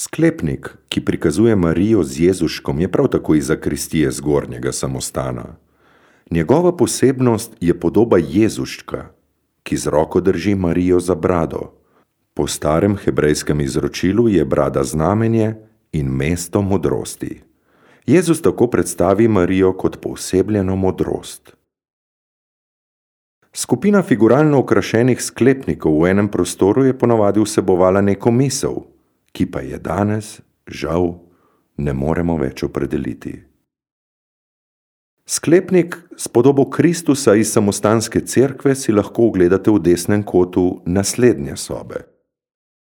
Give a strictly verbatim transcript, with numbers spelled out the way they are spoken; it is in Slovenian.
Sklepnik, ki prikazuje Marijo z Jezuškom, je prav tako iz zakristije zgornjega samostana. Njegova posebnost je podoba Jezuščka, ki z roko drži Marijo za brado. Po starem hebrejskem izročilu je brada znamenje in mesto modrosti. Jezus tako predstavi Marijo kot poosebljeno modrost. Skupina figuralno okrašenih sklepnikov v enem prostoru je ponavadi vsebovala neko misel, ki pa je danes, žal, ne moremo več opredeliti. Sklepnik s podobo Kristusa iz samostanske cerkve si lahko ogledate v desnem kotu naslednje sobe.